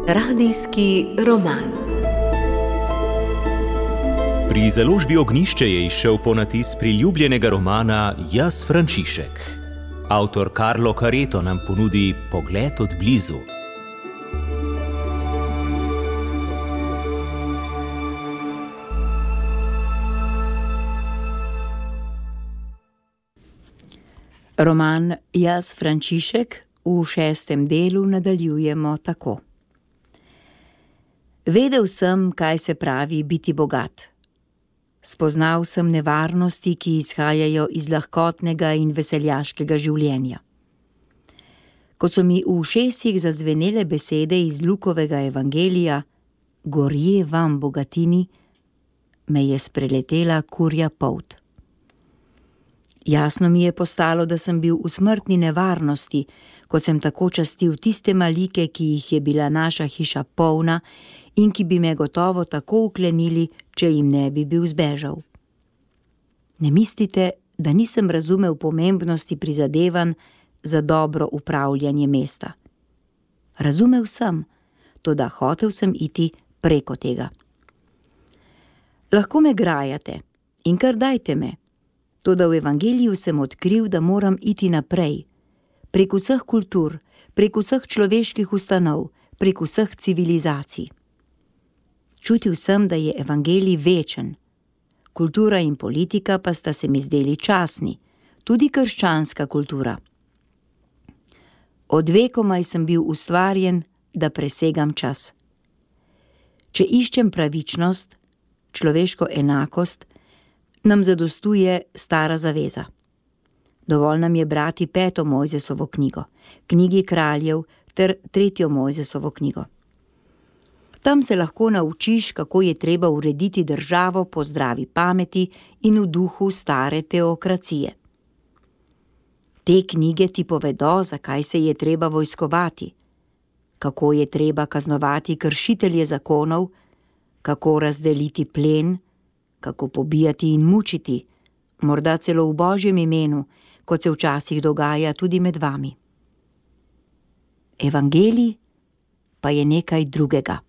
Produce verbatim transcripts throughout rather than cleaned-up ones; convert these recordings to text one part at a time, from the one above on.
Radijski roman. Pri založbi Ognjišče je izšel ponatis priljubljenega romana Jaz Frančišek. Avtor Carlo Careto nam ponudi pogled od blizu. Roman Jaz Frančišek v šestem delu nadaljujemo tako. Vedel sem, kaj se pravi biti bogat. Spoznal sem nevarnosti, ki izhajajo iz lahkotnega in veseljaškega življenja. Ko so mi v ušesih zazvenele besede iz Lukovega evangelija, gorje vam bogatini, me je spreletela kurja polt. Jasno mi je postalo, da sem bil v smrtni nevarnosti, ko sem tako častil tiste malike, ki jih je bila naša hiša polna in ki bi me gotovo tako uklenili, če jim ne bi bil zbežal. Ne mislite, da nisem razumel pomembnosti prizadevanj za dobro upravljanje mesta. Razumel sem, toda hotel sem iti preko tega. Lahko me grajate in kar dajte me, toda v evangeliju sem odkril, da moram iti naprej, prek vseh kultur, prek vseh človeških ustanov, prek vseh civilizacij. Čutil sem, da je evangelij večen. Kultura in politika pa sta se mi zdeli časni, tudi krščanska kultura. Od vekomaj sem bil ustvarjen, da presegam čas. Če iščem pravičnost, človeško enakost, nam zadostuje stara zaveza. Dovolj nam je brati peto Mojzesovo knjigo, knjigi kraljev ter tretjo Mojzesovo knjigo. Tam se lahko naučiš, kako je treba urediti državo po zdravi pameti in v duhu stare teokracije. Te knjige ti povedo, zakaj se je treba vojskovati, kako je treba kaznovati kršitelje zakonov, kako razdeliti plen, kako pobijati in mučiti, morda celo v Božjem imenu, kot se včasih dogaja tudi med vami. Evangelij pa je nekaj drugega.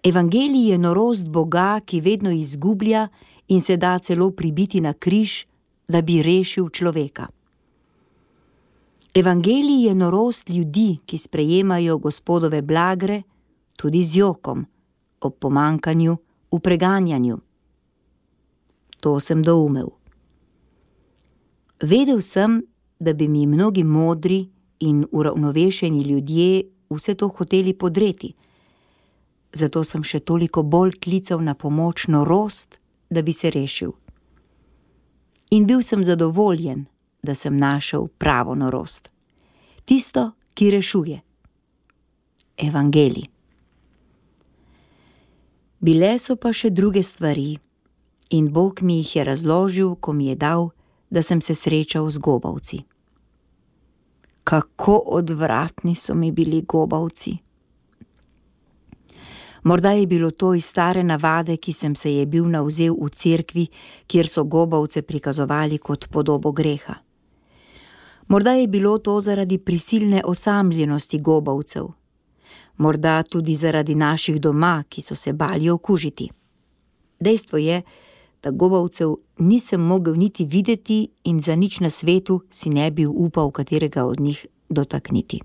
Evangelij je norost Boga, ki vedno izgublja in se da celo pribiti na križ, da bi rešil človeka. Evangelij je norost ljudi, ki sprejemajo Gospodove blagre, tudi z jokom, ob pomankanju, v preganjanju. To sem doumel. Vedel sem, da bi mi mnogi modri in uravnovešeni ljudje vse to hoteli podreti, zato sem še toliko bolj klical na pomoč norost, da bi se rešil. In bil sem zadovoljen, da sem našel pravo norost. Tisto, ki rešuje. Evangelij. Bile so pa še druge stvari in Bog mi jih je razložil, ko mi je dal, da sem se srečal z gobavci. Kako odvratni so mi bili gobavci. Morda je bilo to iz stare navade, ki sem se je bil navzel v cerkvi, kjer so gobavce prikazovali kot podobo greha. Morda je bilo to zaradi prisilne osamljenosti gobavcev. Morda tudi zaradi naših doma, ki so se bali okužiti. Dejstvo je, da gobavcev nisem mogel niti videti in za nič na svetu si ne bi upal katerega od njih dotakniti.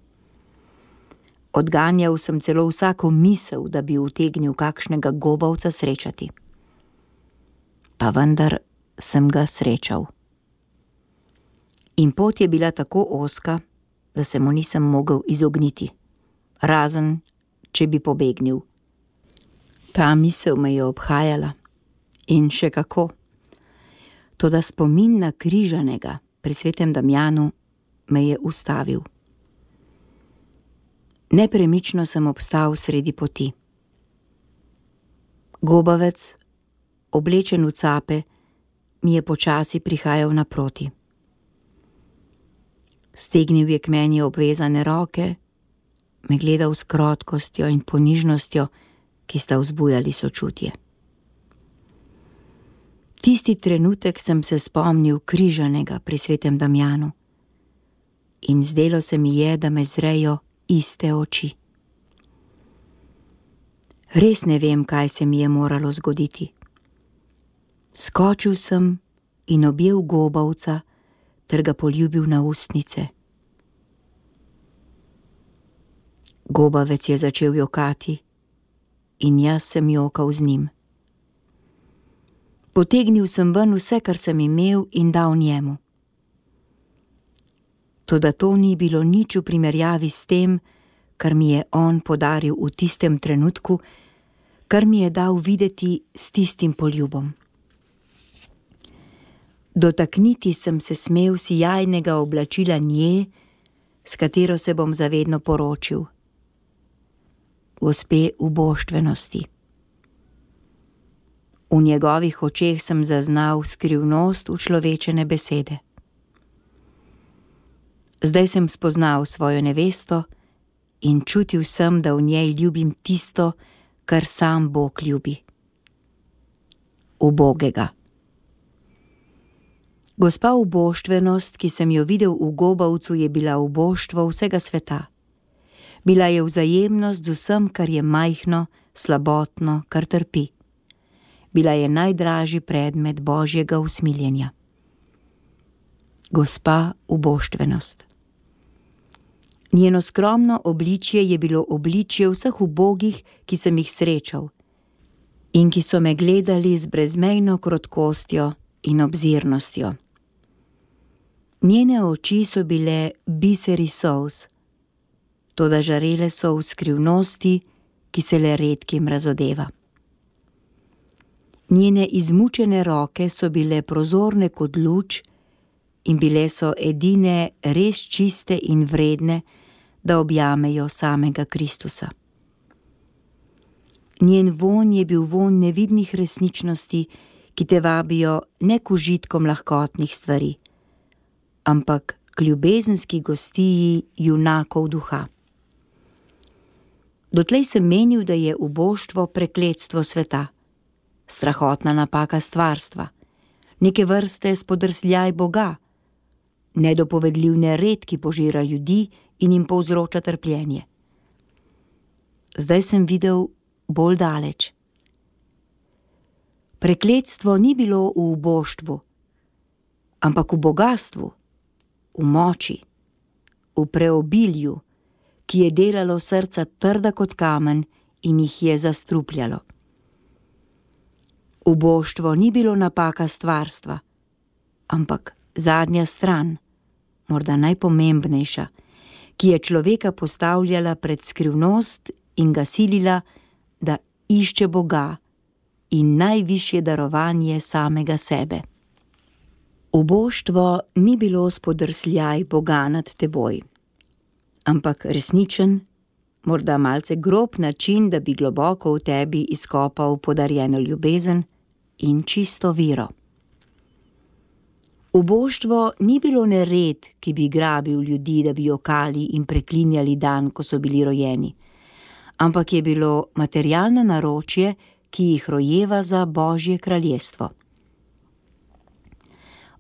Odganjal sem celo vsako misel, da bi utegnil kakšnega gobavca srečati. Pa vendar sem ga srečal. In pot je bila tako ozka, da se mu nisem mogel izogniti, razen če bi pobegnil. Ta misel me je obhajala in še kako. Toda spomin na križanega pri svetem Damjanu me je ustavil. Nepremično sem obstal sredi poti. Gobavec, oblečen v cape, mi je počasi prihajal naproti. Stegnil je k meni obvezane roke, me gledal s krotkostjo in ponižnostjo, ki sta vzbujali sočutje. Tisti trenutek sem se spomnil križanega pri svetem Damjanu in zdelo se mi je, da me zrejo iste oči. Res ne vem, kaj se mi je moralo zgoditi. Skočil sem in objel gobavca ter ga poljubil na ustnice. Gobavec je začel jokati in jaz sem jokal z njim. Potegnil sem ven vse, kar sem imel, in dal njemu. Toda to ni bilo nič v primerjavi s tem, kar mi je on podaril v tistem trenutku, kar mi je dal videti s tistim poljubom. Dotakniti sem se smel sijajnega oblačila nje, s katero se bom zavedno poročil, gospe uboštvenosti. V njegovih očeh sem zaznal skrivnost učlovečene besede. Zdaj sem spoznal svojo nevesto in čutil sem, da v njej ljubim tisto, kar sam Bog ljubi. Ubogega. Gospa uboštvenost, ki sem jo videl v gobavcu, je bila uboštvo vsega sveta. Bila je vzajemnost z vsem, kar je majhno, slabotno, kar trpi. Bila je najdražji predmet Božjega usmiljenja. Gospa uboštvenost. Njeno skromno obličje je bilo obličje vseh ubogih, ki sem jih srečal in ki so me gledali z brezmejno krotkostjo in obzirnostjo. Njene oči so bile biseri solz, toda žarele so v skrivnosti, ki se le redkim razodeva. Njene izmučene roke so bile prozorne kot luč in bile so edine res čiste in vredne, da objamejo samega Kristusa. Njen vonj je bil vonj nevidnih resničnosti, ki te vabijo ne k užitkom lahkotnih stvari, ampak k ljubezenski gostiji junakov duha. Dotlej sem menil, da je uboštvo prekletstvo sveta, strahotna napaka stvarstva, neke vrste spodrsljaj Boga, nedopovedljiv nered, ki požira ljudi in jim povzroča trpljenje. Zdaj sem videl bolj daleč. Prekletstvo ni bilo v uboštvu, ampak v bogatstvu, v moči, v preobilju, ki je delalo srca trda kot kamen in jih je zastrupljalo. Uboštvo ni bilo napaka stvarstva, ampak zadnja stran, morda najpomembnejša, ki je človeka postavljala pred skrivnost in ga silila, da išče Boga in najvišje darovanje samega sebe. Uboštvo ni bilo spodrsljaj Boga nad teboj, ampak resničen, morda malce grob način, da bi globoko v tebi izkopal podarjeno ljubezen in čisto vero. Uboštvo ni bilo nered, ki bi grabil ljudi, da bi jokali in preklinjali dan, ko so bili rojeni, ampak je bilo materialno naročje, ki jih rojeva za Božje kraljestvo.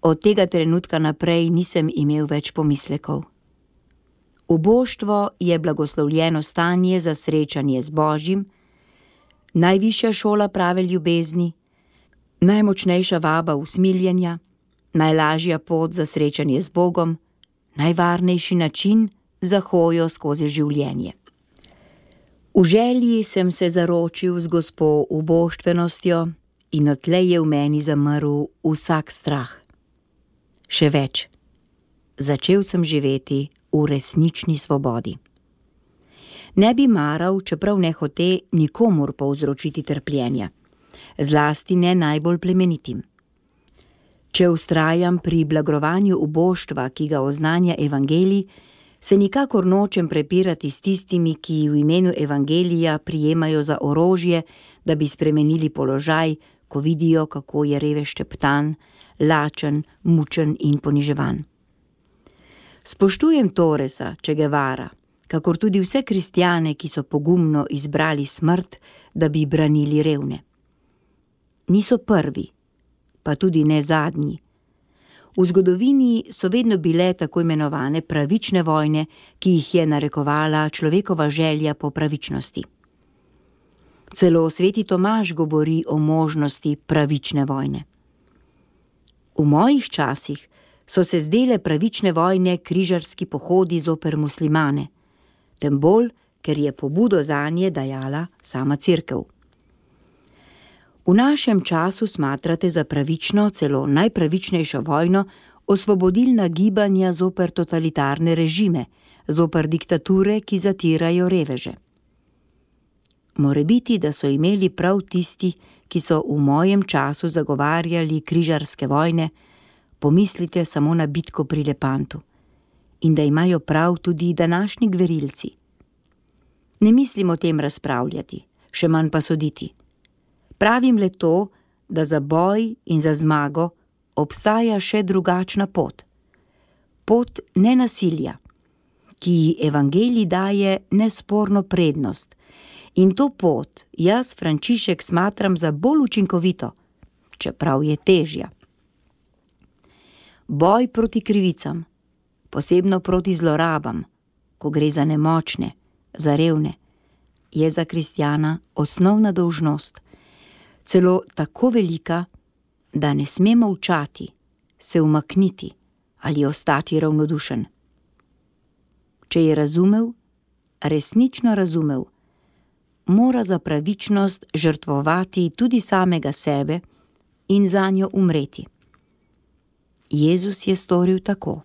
Od tega trenutka naprej nisem imel več pomislekov. Uboštvo je blagoslovljeno stanje za srečanje z Božjim, najvišja šola prave ljubezni, najmočnejša vaba usmiljenja, najlažja pot za srečanje z Bogom, najvarnejši način za hojo skozi življenje. V želji sem se zaročil z gospo uboštvenostjo in odtlej je v meni zamrl vsak strah. Še več, začel sem živeti v resnični svobodi. Ne bi maral, čeprav ne hote, nikomur povzročiti trpljenja, zlasti ne najbolj plemenitim. Če vztrajam pri blagrovanju uboštva, ki ga oznanja evangelij, se nikakor nočem prepirati s tistimi, ki v imenu evangelija prijemajo za orožje, da bi spremenili položaj, ko vidijo, kako je revež šteptan, lačen, mučen in poniževan. Spoštujem Torresa, Che Guevara, kakor tudi vse kristjane, ki so pogumno izbrali smrt, da bi branili revne. Niso prvi, pa tudi ne zadnji. V zgodovini so vedno bile tako imenovane pravične vojne, ki jih je narekovala človekova želja po pravičnosti. Celo sveti Tomaž govori o možnosti pravične vojne. V mojih časih so se zdele pravične vojne križarski pohodi zoper muslimane, tem bolj, ker je pobudo zanje dajala sama cerkev. V našem času smatrate za pravično, celo najpravičnejšo vojno, osvobodilna gibanja zoper totalitarne režime, zoper diktature, ki zatirajo reveže. Morebiti, da so imeli prav tisti, ki so v mojem času zagovarjali križarske vojne, pomislite samo na bitko pri Lepantu, in da imajo prav tudi današnji gverilci. Ne mislim o tem razpravljati, še manj pa soditi. Pravim le to, da za boj in za zmago obstaja še drugačna pot. Pot nenasilja, ki ji evangelij daje nesporno prednost. In to pot jaz, Frančišek, smatram za bolj učinkovito, čeprav je težja. Boj proti krivicam, posebno proti zlorabam, ko gre za nemočne, za revne, je za kristjana osnovna dolžnost, celo tako velika, da ne sme molčati, se umakniti ali ostati ravnodušen. Če je razumel, resnično razumel, mora za pravičnost žrtvovati tudi samega sebe in zanjo umreti. Jezus je storil tako.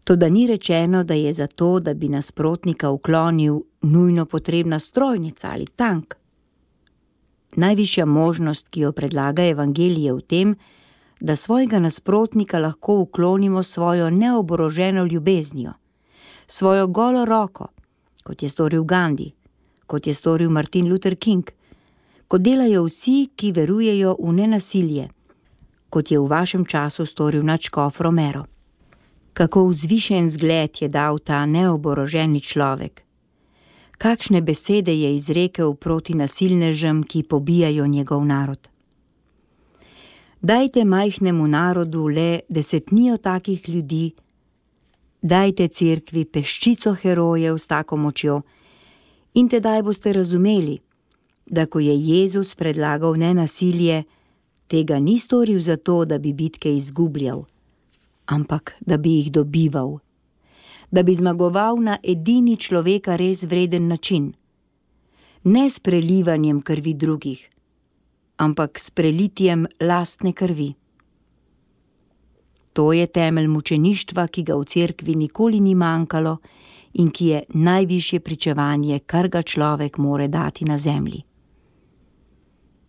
Toda ni rečeno, da je za to, da bi nasprotnika uklonil, nujno potrebna strojnica ali tank. Najvišja možnost, ki jo predlaga evangelij, je v tem, da svojega nasprotnika lahko uklonimo svojo neoboroženo ljubeznijo, svojo golo roko, kot je storil Gandhi, kot je storil Martin Luther King, kot delajo vsi, ki verujejo v nenasilje, kot je v vašem času storil nadškof Romero. Kako vzvišen zgled je dal ta neoboroženi človek. Kakšne besede je izrekel proti nasilnežem, ki pobijajo njegov narod. Dajte majhnemu narodu le desetnijo takih ljudi, dajte cerkvi peščico herojev s tako močjo in tedaj boste razumeli, da ko je Jezus predlagal nenasilje, tega ni storil zato, da bi bitke izgubljal, ampak da bi jih dobival, da bi zmagoval na edini človeka res vreden način, ne s prelivanjem krvi drugih, ampak s prelitjem lastne krvi. To je temelj mučeništva, ki ga v cerkvi nikoli ni manjkalo in ki je najvišje pričevanje, kar ga človek more dati na zemlji.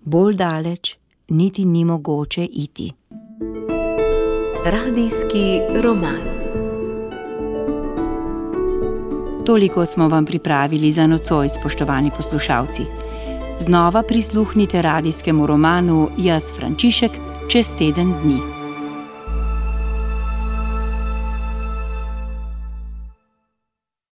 Bolj daleč niti ni mogoče iti. Radijski roman. Toliko smo vam pripravili za nocoj, spoštovani poslušalci. Znova prisluhnite radijskemu romanu Jaz, Frančišek, čez teden dni.